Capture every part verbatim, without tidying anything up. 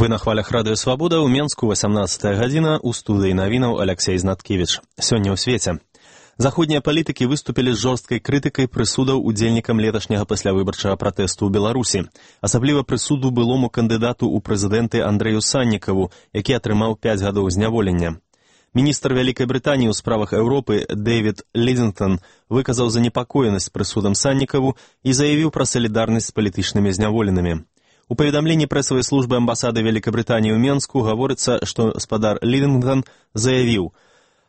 Вы на хвалях радыё Свабода, ў Менску васямнадцатая гадзіна, у студыі навінаў Аляксей Знаткевіч. Сёння ў свеце. Заходнія палітыкі выступілі з жорсткай крытыкай прысудаў удзельнікам леташняга паслявыбарчага пратэсту ў Беларусі. Асабліва прысуду былому кандыдату ў прэзідэнты Андрэю Саннікаву, які атрымаў пяць гадоў зняволення. Міністр Вялікай Брытаніі ў справах Еўропы Дэвід Лідзінгтон выказаў занепакоенасць прысудам Саннікаву і заявіў пра салідарнасць з палітычнымі зняволенымі. У паведамленні прэсавай службы амбасады Вялікай Брытаніі ў Менску гаворыцца, што спадар Лідзінгтон заявіў: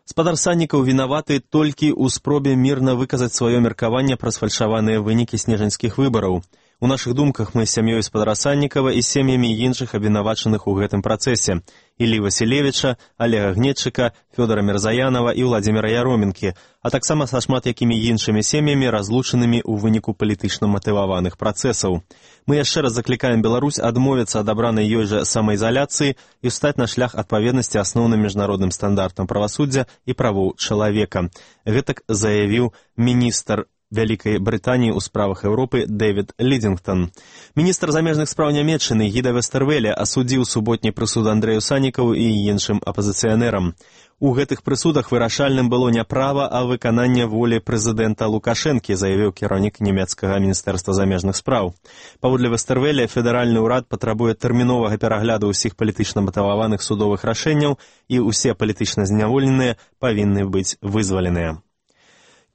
«Спадар Саннікаў вінаваты толькі ў спробе мірна выказаць сваё меркаванне пра сфальшаваныя вынікі снежаньскіх выбараў. У нашых думках мы з сям'ёй спадара Саннікава і сем'ямі іншых абвінавачаных у гэтым працэсе: Іллі Васілевіча, Алега Гнетчыка, Фёдора Мірзаянова і Владзіміра Яроменкі, а таксама са шмат якімі іншымі сем'ямі, разлучанымі ў выніку палітычна матываваных працэсаў. Мы яшчэ раз заклікаем Беларусь адмовіцца ад абранай ёй жа самаізаляцыі і ўстаць на шлях адпаведнасці асноўным міжнародным стандартам правасуддзя і правоў чалавека». Гэтак заявіў міністр Вялікай Брытаніі ў справах Еўропы Дэвід Лідзінгтон. Міністр замежных спраў Нямецчыны Гіда Вестэрвеле асудзіў суботні прысуд Андрэю Саннікаву і іншым апазіцыянерам. У гэтых прысудах вырашальным было не права, а выкананне волі прэзідэнта Лукашэнкі, заявіў кіраўнік нямецкага міністэрства замежных спраў. Паводле Вестэрвеле, федэральны ўрад патрабуе тэрміновага перагляду ўсіх палітычна матываваных судовых рашэнняў, і ўсе палітычна зняволеныя павінны быць вызваленыя.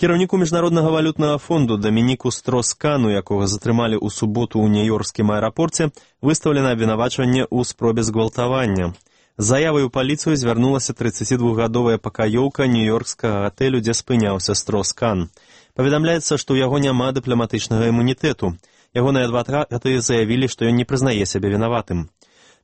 Кіраўніку Міжнароднага валютнага фонду Дамініку Строскану, якога затрымалі ў суботу ў нью-йоркскім аэрапорце, выстаўлена абвінавачванне ў спробе згвалтавання. З заявай у паліцыю звярнулася трыццацідвухгадовая пакаёўка нью-йоркскага гатэлю, дзе спыняўся Строскан. Паведамляецца, што ў яго няма дыпламатычнага імунітэту. Ягоныя адвакаты заявілі, што ён не прызнае сябе вінаватым.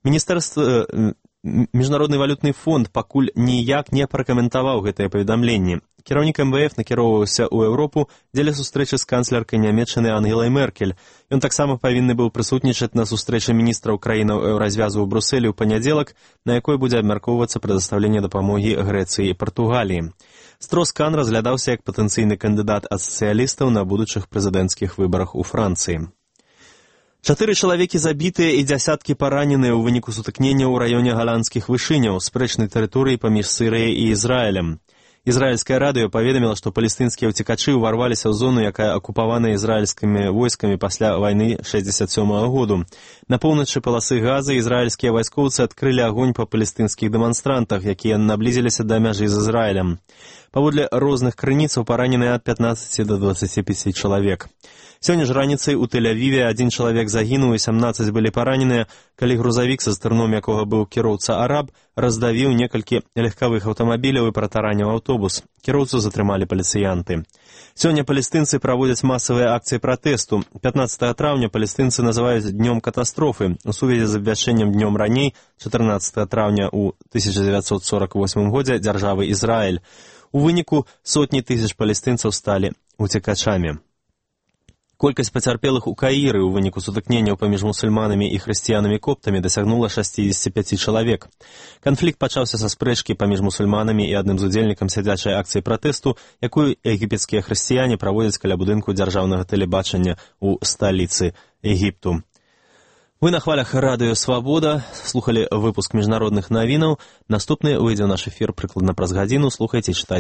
Міністэрства... Міжнародны валютны фонд пакуль ніяк не пракаментаваў гэтае паведамленне. Кіраўнік эм вэ эф накіроўваўся ў Еўропу дзеля сустрэчы з канцлеркай Нямецчыны Ангелай Меркель. Ён таксама павінны быў прысутнічаць на сустрэчы міністраў краінаў еўразвязу ў Брусэлі ў панядзелак, на якой будзе абмяркоўвацца прадастаўленне дапамогі Грэцыі і Партугаліі. Строскан разглядаўся як патэнцыйны кандыдат ад сацыялістаў на будучых прэзідэнцкіх выбарах у Францыі. Чатыры чалавекі забітыя і дзясяткі параненыя ў выніку сутыкнення ў раёне галандскіх вышыняў, спрэчнай тэрыторыі паміж Сірыяй і Ізраілем. Ізраільскае радыё паведаміла, што палестынскія ўцекачы ўварваліся ў зону, якая акупаваная ізраільскімі войскамі пасля вайны шэсцьдзесят сёмага году. На поўначы паласы Газы ізраільскія вайскоўцы адкрылі агонь па палестынскіх дэманстрантах, якія наблізіліся да мяжы з Ізраілем. Паводле розных крыніцаў параненыя ад пятнаццаці да дваццаці пяці чалавек. Сёння ж раніцай у Тель-Авіве адзін чалавек загінуў і сямнаццаць былі параненыя, калі грузавік, са стырном якога быў кіроўца араб, раздавіў некалькі легкавых аўтамабіляў і пратараніў аўтобус. Кіроўцу затрымалі паліцыянты. Сёння палестынцы праводзяць масавыя акцыі пратэсту. пятнаццатага траўня палестынцы называюць днём катастрофы у сувязі з абвяшчэннем днём раней, чатырнаццатага траўня ў тысяча дзевяцьсот сорак восьмым годзе дзяржавы Ізраіль. У выніку сотні тысяч палестынцаў сталі уцекачамі. Колькасць пацярпелых у Каіры ў выніку сутыкненняў паміж мусульманамі і хрысціянамі-коптамі дасягнула шэсцьдзесят пяць чалавек. Канфлікт пачаўся са спрэчкі паміж мусульманамі і адным з удзельнікам сядзячай акцыі пратэсту, якую егіпецкія хрысціяне праводзяць каля будынку дзяржаўнага тэлебачання ў сталіцы Егіпту. Вы на хвалях радыё Свабода слухалі выпуск міжнародных навінаў. Наступны выйдзе ў наш эфір прыкладна праз гадзіну. Слухайце, чытайце.